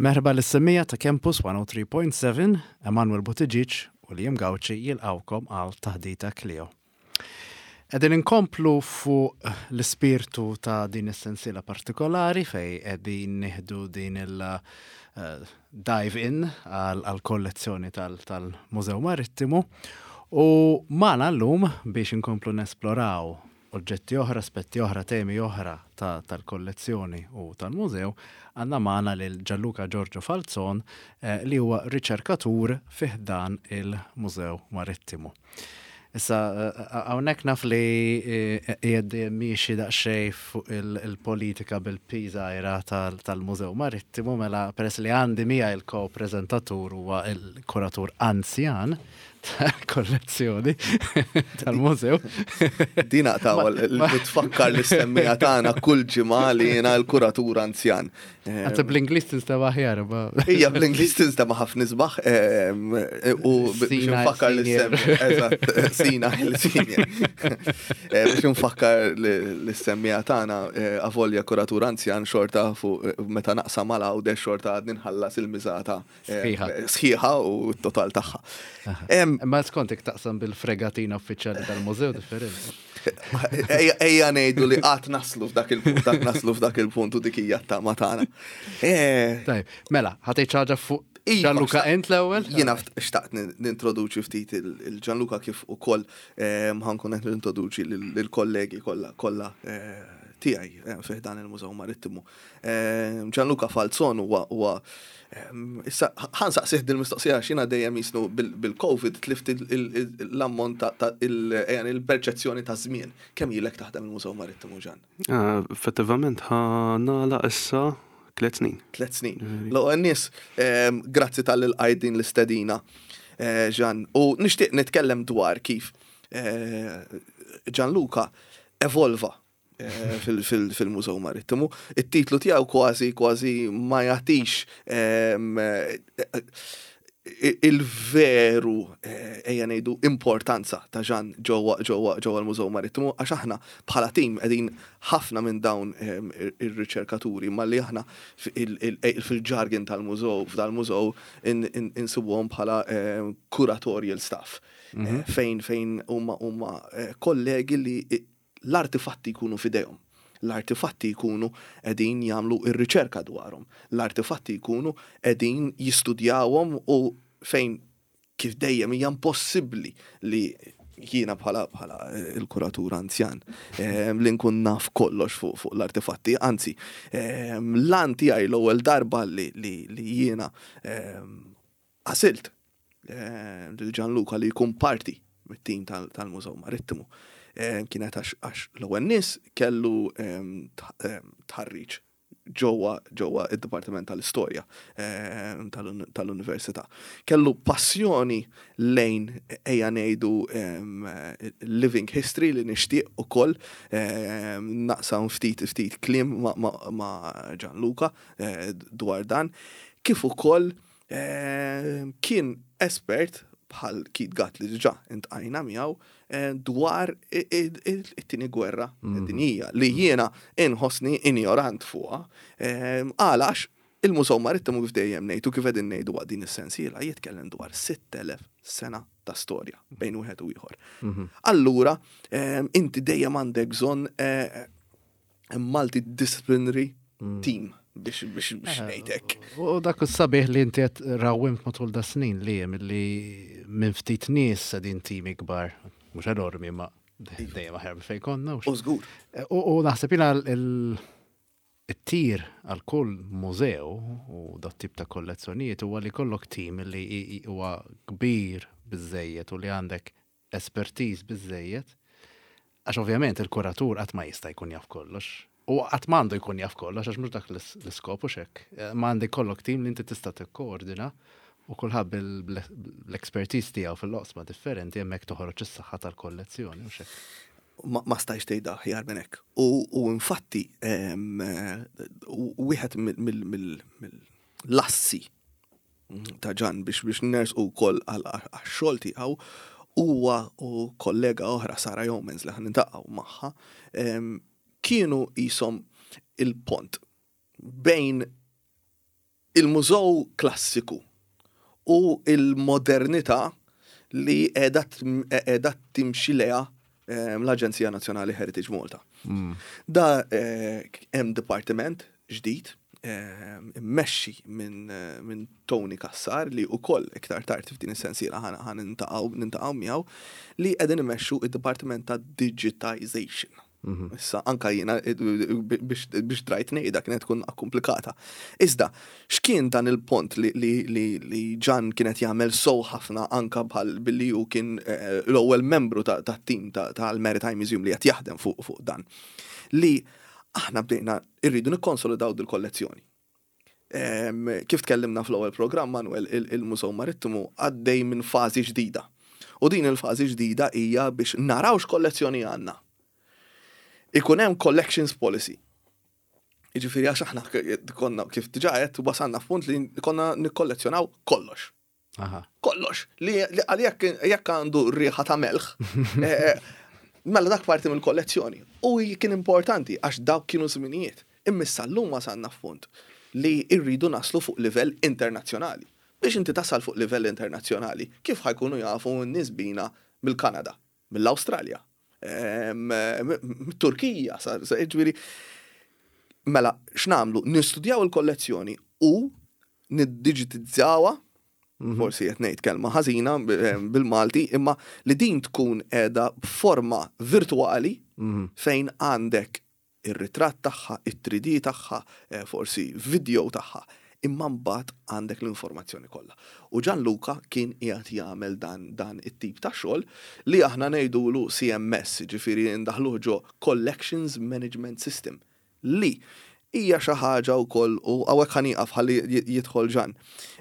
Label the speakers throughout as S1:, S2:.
S1: Merħba lis-semmiegħa ta' Campus 103.7, Emanuel Buttigieg u Liam Gauci jilqgħukom għal Taħdita Clio. Qegħdin inkomplu fuq l-ispirtu ta' din is-sensiela partikolari fej qegħdin nieħdu din il eh, dive in għal kollezzjoni tal-Mużew Marittimu u magħna llum biex inkomplu nesploraw oġġetti oħra, aspetti oħra, temi oħra tal-kollezzjoni u tal-mużew, għandna magħna lil Gianluca Giorgio Falzon eh, li huwa riċerkatur fi ħdan il-Mużew Marittimu. Issa, eh, hawnhekk naf li eh, qiegħed miexi daqsxejn fuq il-politika bil-P żgħira tal-Mużew Marittimu, mela peress li għandi miegħi il-ko-preżentatur huwa il-kuratur anzjan, kollezzjoni tal-mużew.
S2: Din aqtaw li tfakkar l-istemmija tagħna kull ġimgħa li jiena l-kuratur anzjan.
S1: Għazza bl-Ingliż tinstema aħjar.
S2: Ija bl-Ingliż tinstema ħafna isbaħ u biex nfakkar l-istemmija. Eżatt, sina il-senior. Biex nfakkar l-istemmija tagħna avolja kuratur anzjan xorta fuq meta naqsam mal għawdex xorta għadni nħallas il-miżata Sħiħa. Sħiħa u t-total tagħha.
S1: Ma skont taqsam bil-fregatina uffiċjali tal-mużew differenti.
S2: Ejja ngħidu li qatt naslu f'dak il-punt, qatt naslu f'dak il-punt u dik hija t-tama tagħna.
S1: Eh. Tajb, mela, ħatejt ħaġa fuq iva, Gianluca ent l-ewwel?
S2: Jiena xtaqt nintroduċi ftit il-Gianluca kif ukoll eh, ħankun qed nintroduċi lill-kollegi kollha kollha eh, tiegħi fih dan il-Mużew Marittimu. Gianluca Falzon huwa huwa issa ħansaqsih dil-mistoqsija għax jiena dejjem jisnu bil-COVID tlift l-ammont ta' il-perċezzjoni ta' żmien. Kemm ilek taħdem il-Mużew Marittimu Ġan?
S3: Ah, effettivament ħa nagħlaq issa tliet snin.
S2: Tliet snin. L-ewwel nies, grazzi tal-li lqajt din l-istedina, eh, Ġan. U nixtieq nitkellem dwar kif eh, Gianluca evolva Eh, fil-Mużew Marittimu. It-titlu tiegħu kważi kważi ma jagħtix ehm, eh, il-veru eh, ejja ngħidu importanza ta' Ġan ġewwa ġewwa ġewwa l-Mużew Marittimu għax aħna bħala tim qegħdin ħafna minn dawn ehm, ir-riċerkaturi ma li aħna fil-ġargin tal-mużew f'dal-mużew insibuhom bħala ehm, curatorial staff mhm. fejn fejn huma huma kollegi li L-artifatti jkunu f'idejhom. L-artifatti jkunu qegħdin jagħmlu r-riċerka dwarhom. L-artifatti jkunu qegħdin jistudjawhom u fejn kif dejjem hija impossibbli li jiena bħala bħala l-kuratur anzjan li nkun naf kollox fuq fuq l-artifatti, anzi l-għan tiegħi l-ewwel darba li li jiena Għażilt lil Gianluca li jkun parti mit-tim tal-Mużew Marittimu. Kienet għax l-ewwel nies kellu tħarriġ ġewwa ġewwa id-Dipartiment tal-Istorja tal-Università. Kellu passjoni lejn ejja ngħidu living history li nixtieq ukoll naqsam ftit ftit kliem ma' Gianluca dwar dan, kif ukoll Kien espert bħal Keith Gatt li diġà intqajna miegħu dwar it-tieni gwerra dinjija li jiena inħossni injorant fuqha. Għala għax il-Mużew Marittimu kif dejjem ngħid u kif qegħdin ngħidu waqt din is-sensiela jitkellem dwar 6,000 sena ta' storja bejn wieħed u ieħor. Allura inti dejjem għandek bżonn multidisciplinary mm. team biex biex biex eh, ngħidek.
S1: U dak is-sabiħ li inti qed rawwimt matul da snin li hemm li minn ftit nies qegħdin tim ikbar, mhux enormi ma dejjem aħjar minn fejn konna.
S2: U żgur.
S1: Eh, u naħseb jiena it-tir għal kull mużew u dat tip ta' kollezzjonijiet huwa li kollok tim li huwa kbir biżejjed u li għandek espertiż biżżejjed, għax ovvjament il-kuratur qatt ma jista' jkun jaf kollox. U qatt m'għandu jkun jaf kollox għax mhux dak l-iskop u xek. Eh, ma għandi kollok tim li inti tista' tikkoordina u kulħadd bl-expertise tiegħu fil-oqsma differenti hemmhekk toħroġ is-saħħa tal-kollezzjoni u xek.
S2: Ma stajx tgħidha aħjar minn hekk. U infatti wieħed mill-lassi ta' Ġan biex biex nersqu wkoll għax-xogħol tiegħu huwa u kollega oħra Sara Yeomans li ħan nintaqgħu magħha kienu qishom il-pont bejn Il-mużew klassiku u il-modernità li qiegħda timxi lejha l-Aġenzija Nazzjonali Heritage Malta. Da hemm dipartiment ġdid immexxi minn Tony Cassar, li wkoll iktar tard f'din is-sensiela ħa nintaqgħu miegħu, li qegħdin imexxu id-Dipartiment ta' Digitization. Issa anka jiena biex drajt ngħidha kienet tkun komplikata. Iżda, x'kien dan il-pont li Ġan kienet jagħmel sow ħafna, anka bħal billi hu kien l-ewwel membru tat-tim tal-Maritime Museum li qed jaħdem fuq dan? Li aħna bdejna irridu nikkonsolidaw dil-kollezzjoni. Kif tkellimna fl-ewwel programm, Manuel, il-Mużew Marittimu għaddej minn fażi ġdida. U din il-fażi ġdida hija biex naraw x'kollezzjoni għandna. Ikun hemm collections policy. Jiġifieri għax aħna konna, kif diġà qed, wasalna f'punt li konna nikkollezzjonaw kollox. Kollox. Li għal jekk għandu riħa ta' melħ, mela dak parti mill-kollezzjoni. U kien importanti għax dawk kienu żminijiet. Imma issa llum wasalna f'punt li rridu naslu fuq livell internazzjonali. Biex inti tasal fuq livell internazzjonali, kif ħa jkunu jafu n-nies bina mill-Kanada, mill-Awstralja, mit-Turkija, ġifieri, mela, x'nagħmlu? Nistudjaw il-kollezzjoni u niddigitizzawha, forsi qed ngħid kelma ħażina bil-Malti, imma li din tkun qiegħda b'forma virtuali fejn għandek ir-ritratt tagħha, it-3D tagħha, forsi video tagħha, imma mbagħad għandek l-informazzjoni kollha. U Gianluca kien qiegħed jagħmel dan it-tip ta' xogħol li aħna ngħidulu CMS, ġifieri ndaħluh ġo Collections Management System, li hija xi ħaġa wkoll, u hawnhekk ħa nieqaf ħalli jidħol Ġan.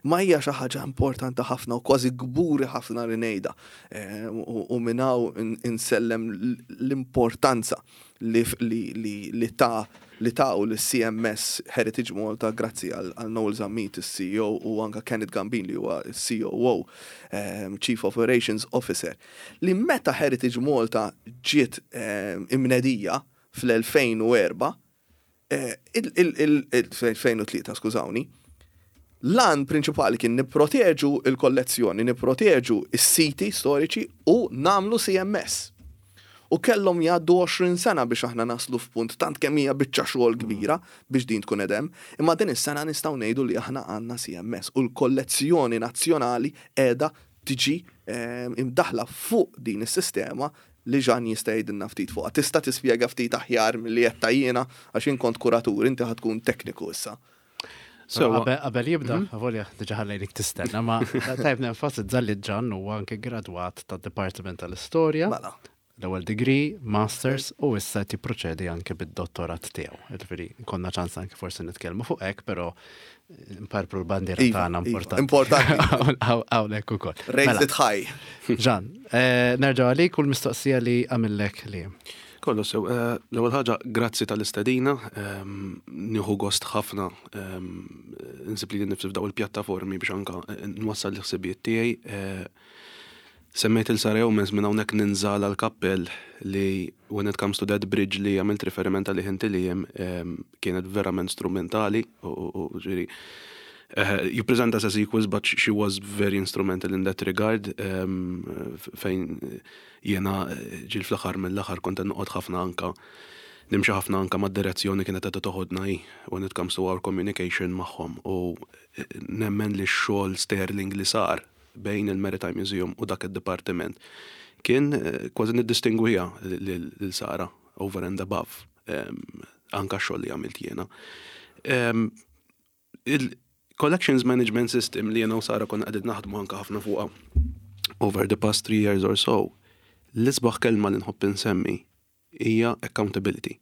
S2: Ma hija xi ħaġa importanti ħafna u kważi kburi ħafna li ngħidha. U minn hawn insellem l-importanza li ta' u l-CMS Heritage Malta, grazzi għal Noel Zammit, il-CEO, u anka Kenneth Gambin li huwa COO, Chief Operations Officer, li meta Heritage Malta ġiet imnedija fl-2004, 2003, skużawni, l-għan prinċipali kien nipproteġu il-kollezzjoni, nipproteġu is-siti storiċi u nagħmlu CMS. U kellhom jgħaddu 20 sena biex aħna naslu f'punt tant kemm hija biċċa xogħol kbira biex din tkun edem, imma din is-sena nistgħu ngħidu li aħna għandna CMS u l-kollezzjoni nazzjonali qiegħda tiġi imdaħla fuq din is-sistema li Ġan jista' jgħidilna ftit fuqha. Tista' tispjega ftit aħjar milli qed jiena, għax jien kont kuratur, inti ħa tkun tekniku issa.
S1: So, qabel jibda, volja diġà ħallejnik tistenna, ma tajb nenfasizza li Ġan huwa anke gradwat tad-Dipartiment tal-Istorja.
S2: Mela.
S1: L-ewwel degree, masters, u issa qed jipproċedi anke bid-dottorat tiegħu. Ġifieri konna ċans anke forsi nitkellmu fuq hekk, però nparpru l-bandiera tagħna importanti.
S2: Importanti.
S1: Hawnhekk ukoll.
S2: Raise
S1: Mela,
S2: it high.
S1: Ġan, nerġgħu għalik u l-mistoqsija li għamillek li.
S3: Kollu sew, l-ewwel ħaġa, grazzi tal-istedina, nieħu gost ħafna insib li nifsi f'daw il-pjattaformi biex anka nwassal l-ħsibijiet tiegħi. Semmejt lil Sara Yeomans, minn hawnhekk ninżala l-kappell li when it comes to that bridge li għamilt riferiment għalih inti li jem, kienet verament strumentali u ġifieri you present us as equals, but she was very instrumental in that regard, fejn jiena ġil fl-aħħar mill-aħħar kont noqgħod ħafna anka nimxi ħafna anka mad-direzzjoni kienet qed toħodna hi when it comes to our communication magħhom, u nemmen li x-xogħol sterling li sar bejn il-Maritime Museum u dak id-dipartiment kien kważi niddistingwiha lil Sara over and above anka x-xogħol li għamilt jiena. Il-Collections Management System li jiena u Sara konna qegħdin naħdmu anka ħafna fuqha over the past 3 years or so, l-isbaħ kelma li nħobb insemmi hija accountability.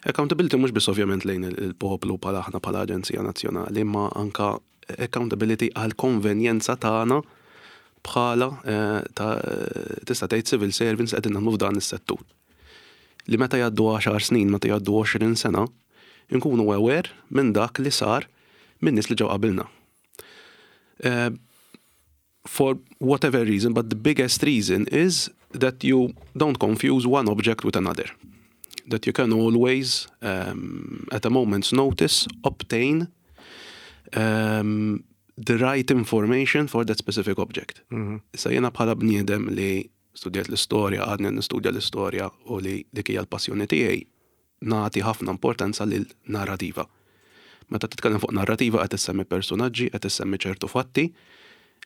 S3: Accountability mhux biss ovvjament lejn il-poplu bħala aħna bħala Aġenzija Nazzjonali, imma anka accountability għal konvenjenza tagħna bħala ta' tista' tgħid civil servants qegħdin naħdmu f'dan is-settur. Li meta jgħaddu 10 snin, meta jgħaddu 20 sena, nkunu aware minn dak li sar minn nies li ġew qabilna. For whatever reason, but the biggest reason is that you don't confuse one object with another. That you can always, at a moment's notice, obtain the right information for that specific object. Issa jiena bħala bniedem li studjat l-istorja, għadni nistudja l-istorja u li dik hija l-passjoni tiegħi, nagħti ħafna importanza lil narrativa. Meta titkellem fuq narrativa qed issemmi personaġġi, qed issemmi ċertu fatti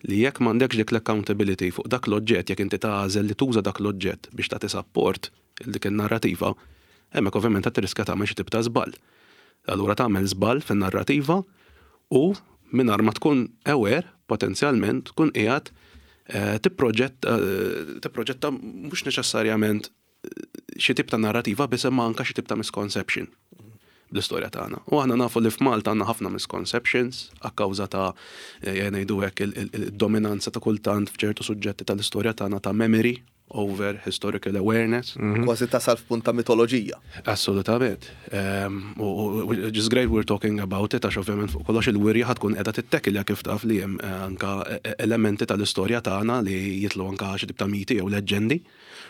S3: li jekk m'għandekx dik l-accountability fuq dak l-oġġett, jekk inti tagħżel li tuża dak l-oġġett biex tagħti support il dik in-narrativa, hemmhekk ovvjament qed tirriskja tagħmel xi tip ta' żball. Allura tagħmel żball fin-narrativa u mingħajr ma tkun aware potenzjalment tkun qiegħed tipproġetta mhux neċessarjament xi tip ta' narrativa biss imma anke xi tip ta' misconception bl-istorja tagħna. U aħna nafu li f'Malta għandna ħafna misconceptions akkawża ta' ngħidu hekk il-dominanza ta' kultant f'ċertu suġġetti tal-istorja tagħna ta' memory over historical awareness.
S2: Kważi tasal f'punt ta' mitoloġija.
S3: Assolutament. U just great we're talking about it, għax ovvjament fuq kollox il-wirja ħa tkun qiegħda tittekilja kif taf li hemm anka elementi tal-istorja tagħna li jitlu anka xi tip ta' miti jew leġġendi.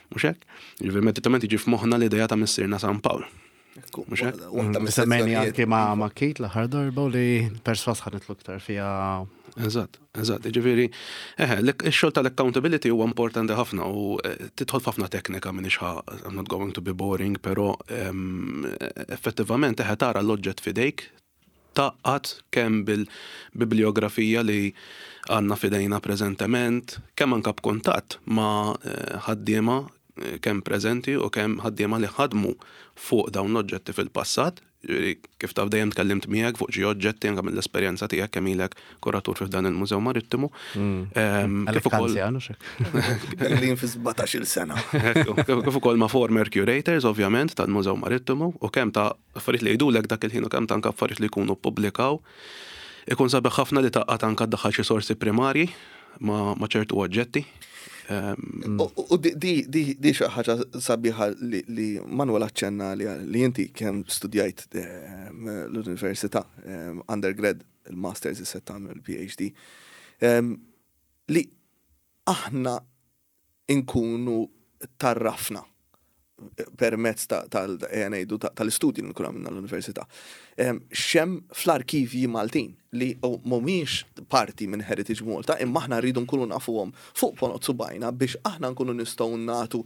S3: Mhux hekk? Ġifieri immedjatament jiġi f'moħħna l-idea ta' missierna San Pawl. Mhux hekk?
S2: Waħda
S1: Semmejni anki ma' Kit l-aħħar darba u li perswas ħa nidħlu iktar fiha.
S3: Eżatt. Ġifieri, eħe, ix-xogħol tal-accountability huwa importanti ħafna u tidħol f'ħafna teknika minn ixħa, I'm not going to be boring, però effettivament eħe tara l-oġġett f'idejk, taqgħad kemm bil-bibliografija li għandna f'idejna preżentement, kemm anka b'kuntatt ma' ħaddiema kemm preżenti u kemm ħaddiema li ħadmu fuq dawn l-oġġetti fil-passat. Ġifieri, kif taf dejjem tkellimt miegħek fuq xi oġġetti anke mill-esperjenza tiegħek kemm ilek kuratur fi dan il-Mużew Marittimu.
S1: Kif ukoll anzjan, hux
S2: hekk? Lin fi 17-il sena.
S3: Ekku, kif ukoll ma' former curators ovvjament tal-Mużew Marittimu u kemm ta' affarijiet li jgħidulek dak il-ħin u kemm ta' anke affarijiet li jkunu ppubblikaw. Ikun sabiħ ħafna li taqgħad anke ddaħħal xi sorsi primarji ma' ċertu oġġetti.
S2: U di xi ħaġa sabiħa li Manuel aċċenna li inti kemm studjajt l-università, undergrad, il-masters issa tagħmel il-PhD, li aħna inkunu tarrafna permezz ngħidu tal-istudji li nkunu għamilna l-università. X'hemm fl-arkivji Maltin li mhumiex parti minn Heritage Malta, imma aħna rridu nkunu nafuhom fuq ponot subajna biex aħna nkunu nistgħu nagħtu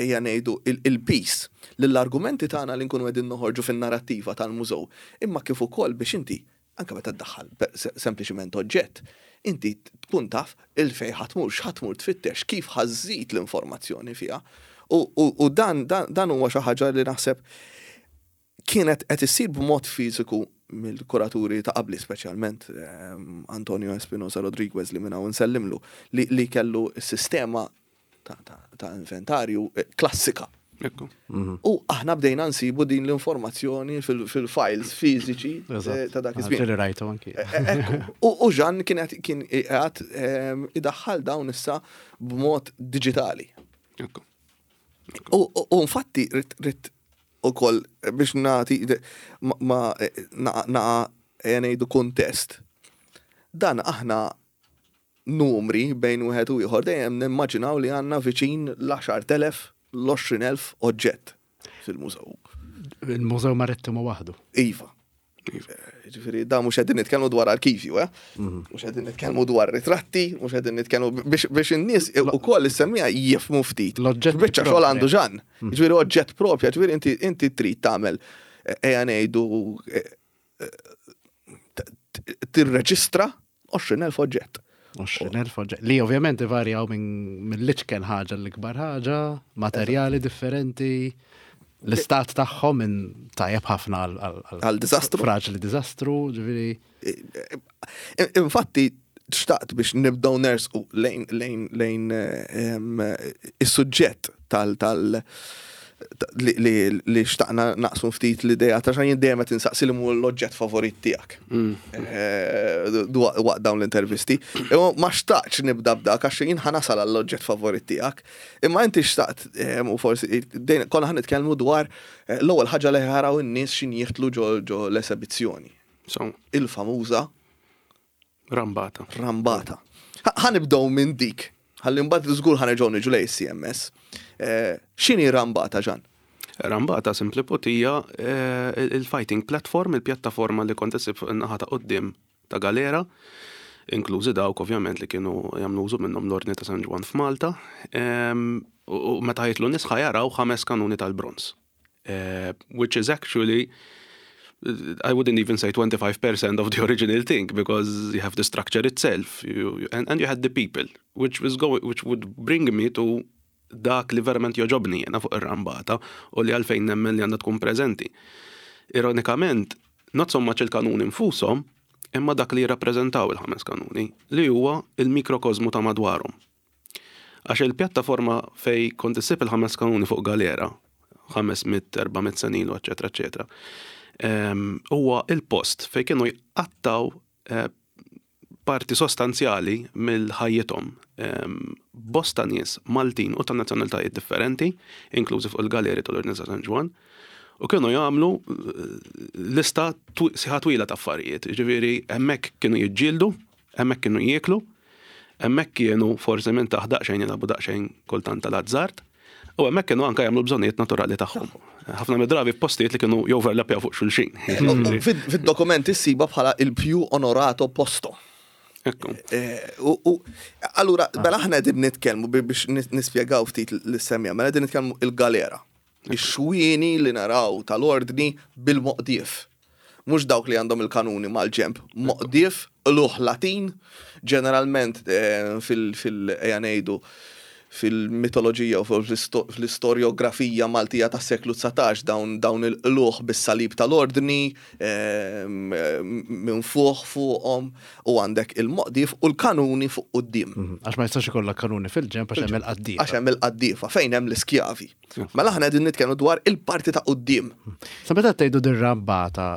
S2: ejja ngħidu il-piż lill-argumenti tagħna li nkunu qegħdin noħorġu fin-narrattiva tal-mużew, imma kif ukoll biex inti anke meta ddaħħal sempliċiment oġġett, inti tkun taf il-fej ħa tmur, x'ħa tmur tfittex, kif ħa żżid l-informazzjoni fiha. U dan huwa xi ħaġa li naħseb kienet qed issir b'mod fiżiku mill-kuraturi ta' qabli, speċjalment Antonio Espinosa Rodriguez li minn hawn nsellimlu, li kellu s-sistema ta' inventarju klassika. U aħna bdejna nsibu din l-informazzjoni fil-files fiżiċi ta' dak iż-żmien.
S1: Ġieli rajtu anki.
S2: Ekku. U Jean kien qiegħed idaħħal dawn issa b'mod diġitali. U infatti rrid ukoll biex nagħti ma naqa' ngħidu kuntest. Dan aħna numri bejn wieħed u ieħor dejjem nimmaġinaw li għandna viċin l-10,000 l-20,000 oġġett fil-mużew.
S1: Il-Mużew Marittimu waħdu.
S2: Iva. Ġifieri, da mhux qegħdin nitkellmu dwar arkivju, eh? Mhux qegħdin nitkellmu dwar ritratti, mhux qegħdin nitkellmu biex in-nies ukoll is-semmija jifhmu ftit.
S1: L-oġġett
S2: Biċċa xogħol
S1: propri.
S2: għandu Jean. Ġifieri oġġett propja, ġifieri inti trid tagħmel ejja ngħidu tirreġistra 20,000 oġġett.
S1: 20,000 oġġett. Li ovvjament ivarjaw minn l-iċken ħaġa l-ikbar ħaġa, materjali differenti, l-istat tagħhom minn tajjeb ħafna
S2: għal diżastru.
S1: Fraġli diżastru, ġifieri.
S2: Infatti, xtaqt biex nibdew nersqu lejn is-suġġett tal li xtaqna naqsmu ftit l-idea ta' xajn dejjem qed insaqsi li mhu l-oġġett favorit tiegħek. Waqt dawn l-intervisti. Imma ma xtaqtx nibda b'dak għax jien ħa nasal għall-oġġett favorit tiegħek. Imma inti xtaqt u forsi konna ħa nitkellmu dwar l-ewwel ħaġa li ħaraw in-nies x'in jidħlu ġo l-esebizzjoni. Il-famuża
S3: Rambata.
S2: Rambata. Ħa nibdew minn dik. Ħalli mbagħad żgur ħa nerġgħu niġu lejn CMS. X'inhi rambata, Jean?
S3: Rambata simply put hija il-fighting platform, il-pjattaforma li kont issib fuq in-naħa ta' quddiem. ta' galera, inklużi dawk ovvjament li kienu jagħmlu użu minnhom l-Ordni ta' San Ġwann f'Malta. U meta jidħlu nies ħa jaraw ħames kanuni tal-bronż. Which is actually I wouldn't even say 25% of the original thing because you have the structure itself you, and, and you had the people which was going which would bring me to dak li verament jogħġobni jiena fuq ir-rambata u li għalfejn nemmen li għandha tkun preżenti. Ironikament, not so much il-kanuni nfushom, imma dak li jirrappreżentaw il-ħames kanuni, li huwa il-mikrokosmu ta' madwarhom. Għax il-pjattaforma fej kont issib il-ħames kanuni fuq galera, 500, 400 sena ilu, eċetera, eċetera, huwa il-post fej kienu jqattaw parti sostanzjali mill-ħajjithom bosta nies Maltin u ta' nazzjonalitajiet differenti, inklużi fuq il-galeri tal-Ordni ta' San Ġwann, u kienu jagħmlu lista sħiħa twila ta' affarijiet. Ġifieri hemmhekk kienu jiġġieldu, hemmhekk kienu jieklu, hemmhekk kienu forsi minn taħt daqsxejn jilagħbu daqsxejn kultant tal-azzard, u hemmhekk kienu anke jagħmlu bżonnijiet naturali tagħhom. Ħafna mid-drabi f'postijiet li kienu joverlapjaw fuq xulxin.
S2: Fid-dokumenti ssiba bħala il-più onorato posto.
S3: Ekku.
S2: U allura, mela aħna qegħdin nitkellmu biex nispjegaw ftit lis-semja, mela qegħdin nitkellmu il-galera. Ix-xwieni li naraw tal-ordni bil-moqdief. Mhux dawk li għandhom il-kanuni mal-ġenb. Moqdief, qlugħ Latin, ġeneralment fil, ejja ngħidu, fil-mitoloġija u fl-istorjografija Maltija tas-seklu 19 dawn dawn il-qlugħ bis-salib tal-ordni minfuħ fuqhom u għandek il-moqdief u l-kanuni fuq quddiem.
S1: Għax ma jistax ikollok kanuni fil-ġenb għax hemm il-qaddiefa.
S2: Għax hemm il-qaddiefa fejn hemm l-iskjavi. Mela aħna qegħdin nitkellmu dwar il-parti ta' quddiem.
S1: Sa meta tgħidu dir-rambata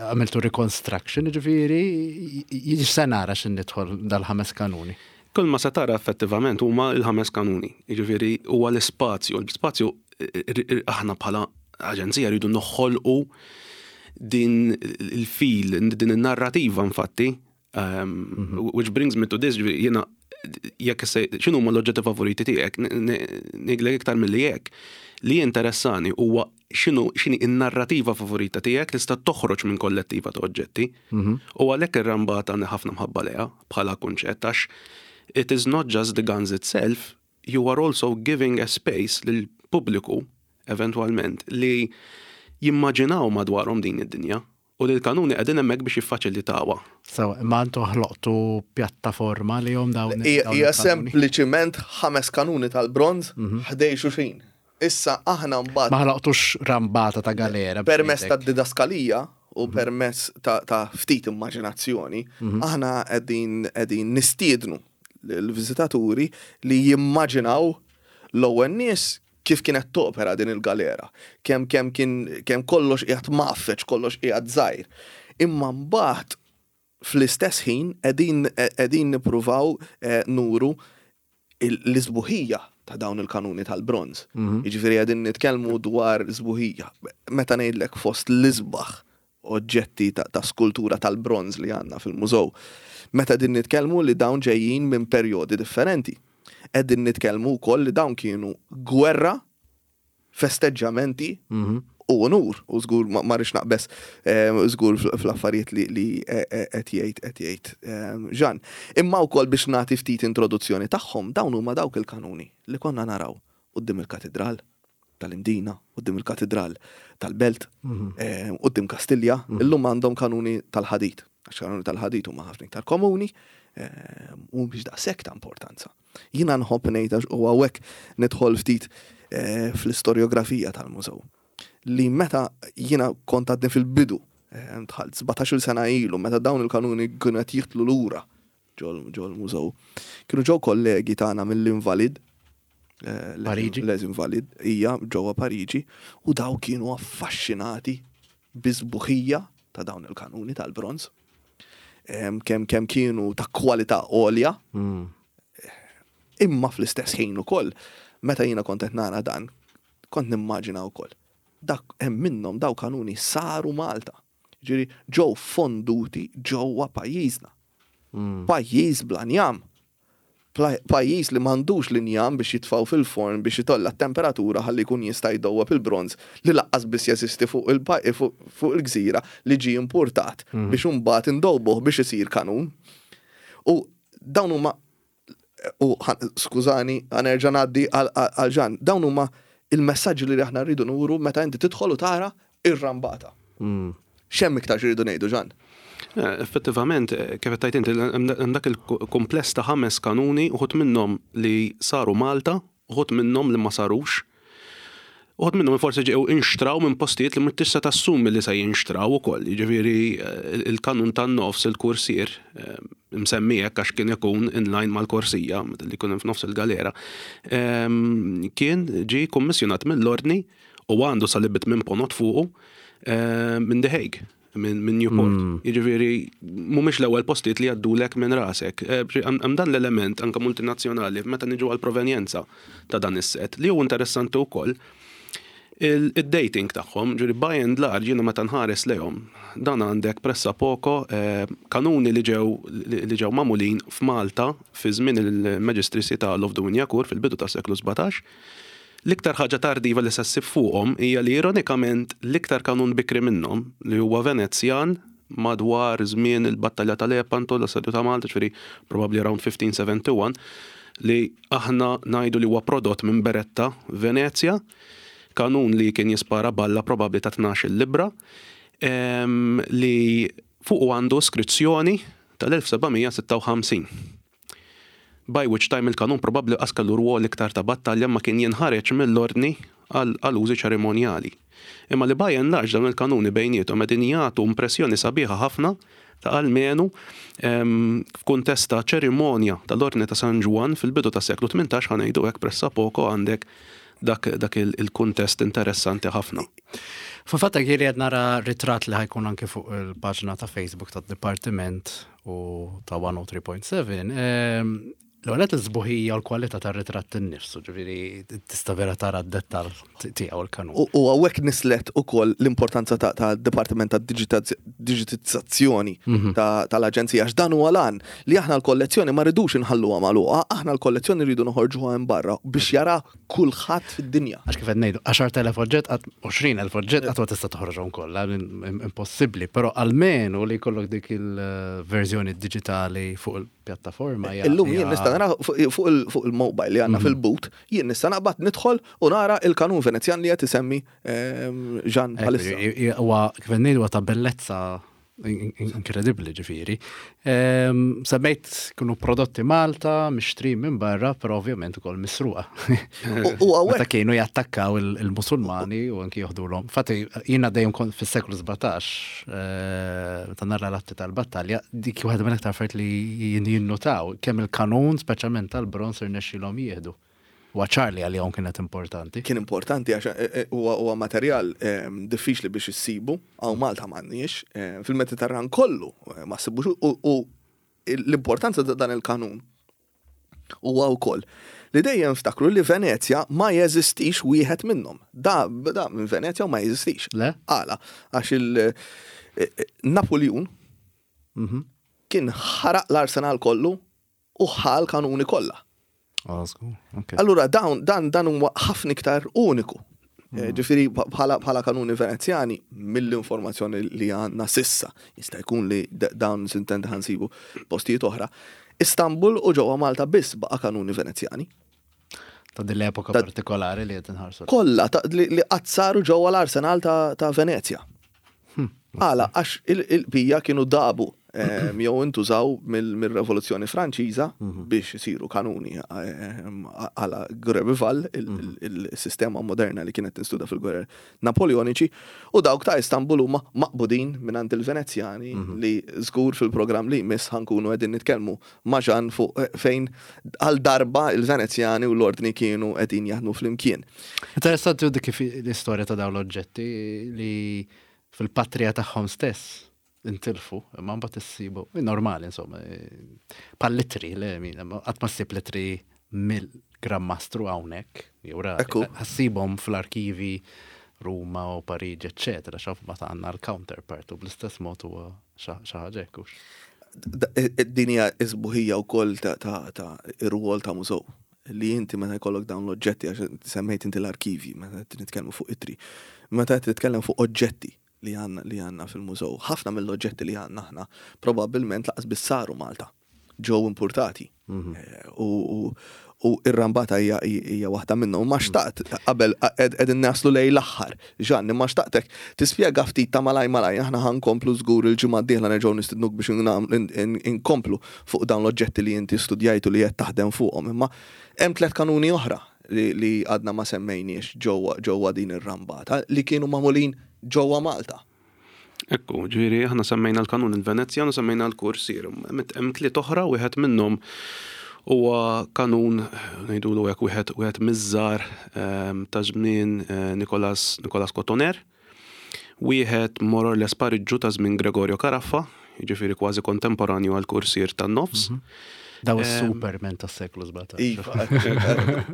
S1: għamiltu reconstruction, ġifieri, se nara x'in nidħol dal-ħames kanuni.
S3: Kull ma se tara effettivament huma l-ħames kanuni. Jiġifieri huwa l-ispazju. L-ispazju aħna bħala aġenzija rridu noħolqu din il-feel, din il-narrativa infatti, which brings me to this, ġifieri jiena jekk se x'inhu huma l-oġġetti favoriti tiegħek, ngħidlek iktar milli hekk. Li jinteressani huwa x'inhu x'inhi n-narrativa favorita tiegħek li tista' toħroġ minn kollettiva ta' oġġetti. U għalhekk ir-rambata għandi ħafna mħabba lejha bħala kunċett għax it is not just the guns itself, you are also giving a space lil pubbliku eventwalment li jimmaġinaw madwarhom din id-dinja u li l-kanuni qegħdin hemmhekk biex jiffaċilitawha.
S1: So, imma intu ħloqtu pjattaforma li jom dawn.
S2: Hija sempliċiment ħames kanuni tal-bronz ħdej xulxin. Issa aħna mbagħad
S1: Ma ħloqtux rambata ta' galera.
S2: Permezz ta' didaskalija u permezz ta' ftit immaġinazzjoni, aħna qegħdin nistiednu l-viżitaturi li jimmaġinaw l-ewwel nies kif kienet topera din il-galera, kemm kien kemm kollox qiegħed mgħaffeġ, kollox qiegħed żgħir. Imma mbagħad fl-istess ħin qegħdin nippruvaw nuru l-isbuħija ta' dawn il-kanuni tal-bronz. Jiġifieri qegħdin nitkellmu dwar sbuħija. Meta ngħidlek fost l-isbaħ oġġetti ta' skultura tal-bronz li għandna fil-mużew. Meta din nitkellmu li dawn ġejjin minn perjodi differenti. Qegħdin nitkellmu wkoll li dawn kienu gwerra, festeġġamenti u onur. U żgur ma rridx naqbeż żgur fl-affarijiet li qed jgħid qed jgħid Jean. Imma wkoll biex nagħti ftit introduzzjoni tagħhom, dawn huma dawk il-kanuni li konna naraw quddiem il-katidral tal-Imdina, quddiem il-katidral tal-Belt, quddiem Kastilja, illum għandhom kanuni tal-ħadid. Għax kanuni tal-ħadid huma ħafna iktar komuni u biex daqshekk ta' importanza. Jiena nħobb ngħid għax u hawnhekk nidħol ftit fl-istorjografija tal-mużew. Li meta jiena kont għadni fil-bidu, dħalt 17-il sena ilu, meta dawn il-kanuni kienu qed jidħlu lura ġol mużew. Kienu ġew kollegi tagħna mill-Invalid,
S1: Pariġi.
S2: Les Invalid, hija ġewwa Pariġi, u daw kienu affaxxinati bisbuħija ta' dawn il-kanuni tal-bronz. Kemm kienu ta' kwalità għolja, imma fl-istess ħin ukoll, meta jiena kont qed nara dan, kont nimmaġina wkoll. Dak hemm minnhom daw kanuni saru Malta. Ġifieri ġew fonduti ġewwa pajjiżna. Pajjiż bla njam. Pajjiż li m'għandux l-injam biex jitfgħu fil-forn biex itolla t-temperatura ħalli jkun jista' jdowweb il-bronż li laqqas biss jeżisti fuq fuq il-gżira li ġie impurtat biex imbagħad indowbuh biex isir kanun. U dawn huma u skużani ħa nerġa' ngħaddi għal Jean, dawn huma il-messaġġi li aħna rridu nuru meta inti tidħol u tara ir-rambata. X'hemm iktar x'irridu ngħidu, Jean?
S3: Effettivament, kif qed tgħid inti, hemm dak il-kumpless ta' ħames kanuni, uħud minnhom li saru Malta, uħud minnhom li ma sarux. Uħud minnhom forsi ġew inxtraw minn postijiet li m'intix se tassumi li se jinxtraw ukoll. Jiġifieri il-kanun tan-nofs, il-kursier, msemmi hekk għax kien ikun in line mal-korsija, li jkun hemm f'nofs il-galera, kien ġie kummissjonat mill-Ordni u għandu salibit minn ponot fuqu minn The Hague, minn Newport. Jiġifieri mhumiex l-ewwel postijiet li jgħaddulek minn rasek. Hemm dan l-element anke multinazzjonali meta niġu għall-provenjenza ta' dan is-set li hu interessanti wkoll id-dating tagħhom, ġifieri by and large jiena meta nħares lejhom, dan għandek pressa poco kanuni li ġew li ġew magħmulin f'Malta fi żmien il-Magistracy ta' Love de Wignacourt fil-bidu tas-seklu 17. L-iktar ħaġa tardiva li se ssib fuqhom hija li ironikament l-iktar kanun bikri minnhom, li huwa Venezjan madwar żmien il-Battalja ta' Lepanto, l-Assedju ta' Malta, ġifieri probabbli around 1571, li aħna ngħidu li huwa prodott minn Beretta, Venezja, kanun li kien jispara balla probabbli ta' 12-il libbra, li fuqu għandu iskrizzjoni tal-1756. By which time il-kanun probabbli qas kellu rwol iktar ta' battalja imma kien jinħareġ mill-ordni għal użi ċerimonjali. Imma li by and large dawn il-kanuni bejniethom qegħdin jagħtu impressjoni sabiħa ħafna ta' almenu f'kuntest ta' ċerimonja tal-Ordni ta' San Ġwann fil-bidu tas-seklu 18 ħa ngħidu hekk pressapoko għandek dak dak il-kuntest interessanti ħafna.
S1: Fil-fatt jien qed nara ritratt li ħa jkun anke fuq il-paġna ta' Facebook tad-Dipartiment u ta' 103.7. L-għonet l-sbuħija u l-kwalità tar-ritratt innifsu, ġifieri tista' vera tara d-dettal tiegħu l-kanun.
S2: U hawnhekk nislet ukoll l-importanza ta' Dipartiment ta' Digitizzazzjoni tal-Aġenzija, għax dan huwa l-għan li aħna l-kollezzjoni ma rridux inħalluha magħluqa, aħna l-kollezzjoni rridu noħorġuha hemm barra biex jara kulħadd fid-dinja.
S1: Għax kif qed ngħidu, 10,000 oġġett, 20,000 oġġett qatt ma tista' toħroġhom kollha, impossibbli, però almenu li jkollok dik il-verżjoni diġitali fuq il-pjattaforma.
S2: Illum jien nista' nara fuq il-mobile li għandna fil-but, jien nista' naqbad nidħol u nara il-kanun Venezjan li qed isemmi Jean bħalissa.
S1: Huwa kif qed ngħidu ta' bellezza inkredibbli ġifieri. Semmejt kienu prodotti Malta, mixtri minn barra, però ovvjament ukoll misruqa.
S2: U hawnhekk
S1: Meta kienu jattakkaw il-Musulmani u anki joħdulhom. Fatti jiena dejjem kont fis-seklu 17, meta nara l-atti tal-battalja, dik waħda mill-aktar affarijiet li jinnutaw kemm il-kanun, speċjalment tal-bronz irnexxielhom jieħdu. Huwa ċar li għalihom kienet importanti.
S2: Kien importanti għax huwa materjal diffiċli biex issibu, hawn Malta m'għandniex, fil-Mediterran kollu ma ssibux u l-importanza ta' dan il-kanun huwa wkoll li dejjem ftakru li Venezja ma jeżistix wieħed minnhom. Da, da minn Venezja u ma jeżistix.
S1: Le?
S2: Għala, għax il-Napoleon kien ħaraq l-arsenal kollu u ħa l-kanuni kollha. Allura dawn dan dan huwa ħafna iktar uniku. Ġifieri bħala kanuni Venezjani mill-informazzjoni li għandna sissa, jista' jkun li dawn sintendi ħa nsibu postijiet oħra. Istanbul u ġewwa Malta biss baqa' kanuni Venezjani.
S1: Ta' din l-epoka partikolari li qed inħarsu.
S2: Kollha li qatt saru ġewwa l-arsenal ta' Venezja. Għala, għax il-bija kienu dabu jew intużaw mill-Revoluzzjoni Franċiża biex isiru kanuni għala Grenoble, il-sistema moderna li kienet tinstuda fil-gwerer Napoleoniċi, u dawk ta' Istanbul huma maqbudin mingħand il-Venezjani li żgur fil-programm li jmiss ħa nkunu qegħdin nitkellmu ma' Jean fuq fejn għal darba il-Venezjani u l-Ordni kienu qegħdin jaħdmu flimkien.
S1: Interessanti dik kif l-istorja ta' dawn l-oġġetti li fil-patrija tagħhom stess intilfu, imma mbagħad issibu, normali insomma, bħal litri, le min, qatt ma ssib litri mill-Gran Mastru hawnhekk, jew rari. Ħa ssibhom fl-arkivi Ruma u Pariġi, eccetera, xaf ma għandna l-counterpart u bl-istess mod huwa xi ħaġa hekk hux.
S2: Din hija s-sbuħija wkoll ta' ir-rwol ta' mużew li inti meta jkollok dawn l-oġġetti, għax semmejt inti l-arkivji, meta qed nitkellmu fuq ittri, meta qed titkellem fuq oġġetti li għandna li għandna fil-mużew, ħafna mill-oġġetti li għandna aħna probabbilment lanqas biss saru Malta, ġew importati. U u ir-rambata hija hija waħda minnhom. Ma xtaqt qabel qegħdin naslu lejn l-aħħar. Jean, imma xtaqtek tispjega ftit ta' malaj malaj, aħna ħa nkomplu żgur il-ġimgħa d-dieħla nerġgħu nistidnuk biex inkomplu fuq dawn l-oġġetti li inti studjajt u li qed taħdem fuqhom. Imma hemm tlett kanuni oħra li għadna ma semmejniex ġewwa ġewwa din ir-rambata li kienu magħmulin ġewwa Malta.
S3: Ekku, ġifieri aħna semmejna l-kanun il-Venezjan u semmejna l-Kursier. Hemm tliet oħra, wieħed minnhom huwa kanun ngħidulu hekk wieħed wieħed miż-żgħar ehm, ta' żmien eh, Nikolas Nikolas Cotoner. Wieħed more or less pariġġu ta' żmien Gregorio Caraffa, jiġifieri kważi kontemporanju għall-kursier tan-nofs.
S1: Daw is-Superman tas-seklu 17.
S2: Iva.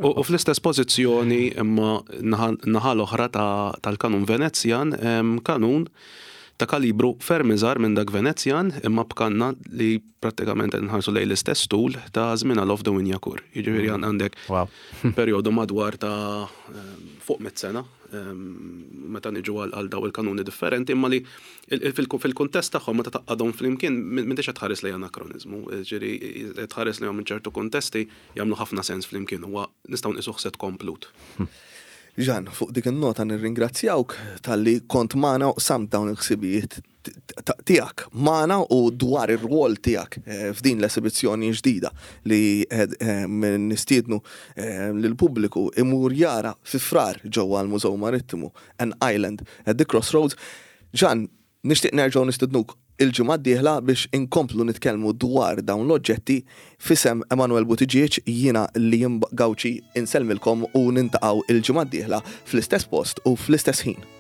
S3: U fl-istess pożizzjoni imma naħa l-oħra tal-kanun Venezjan, kanun ta' kalibru ferm iżgħar minn dak Venezjan imma b'kanna li prattikament qed nħarsu lejn l-istess tul ta' żmien Alof de Wignacourt. Jiġifieri għandek perjodu madwar ta' fuq mit sena meta niġu għal daw il-kanuni differenti imma li fil-kuntest tagħhom meta tgħaqqadhom flimkien m'intix qed tħares lejn anakroniżmu, ġifieri qed tħares lejhom minn ċertu kuntesti jagħmlu ħafna sens flimkien huwa nistgħu nqisuh set komplut.
S2: Jean, fuq dik in-nota nirringrazzjawk talli kont magħna u qsamt dawn il-ħsibijiet tiegħek magħna u dwar ir-rwol tiegħek eh, f'din l-esibizzjoni ġdida li eh, eh, nistiednu lill-pubbliku imur jara fi Frar ġewwa l-Mużew Marittimu An Island at the Crossroads. Jean, nixtieq nerġgħu nistidnuk il-ġimgħa d-dieħla biex inkomplu nitkellmu dwar dawn l-oġġetti. F'isem Emanuel Buttigieg jiena Liam Gauci insellmilkom u nintaqgħu il-ġimgħa d-dieħla fl-istess post u fl-istess ħin.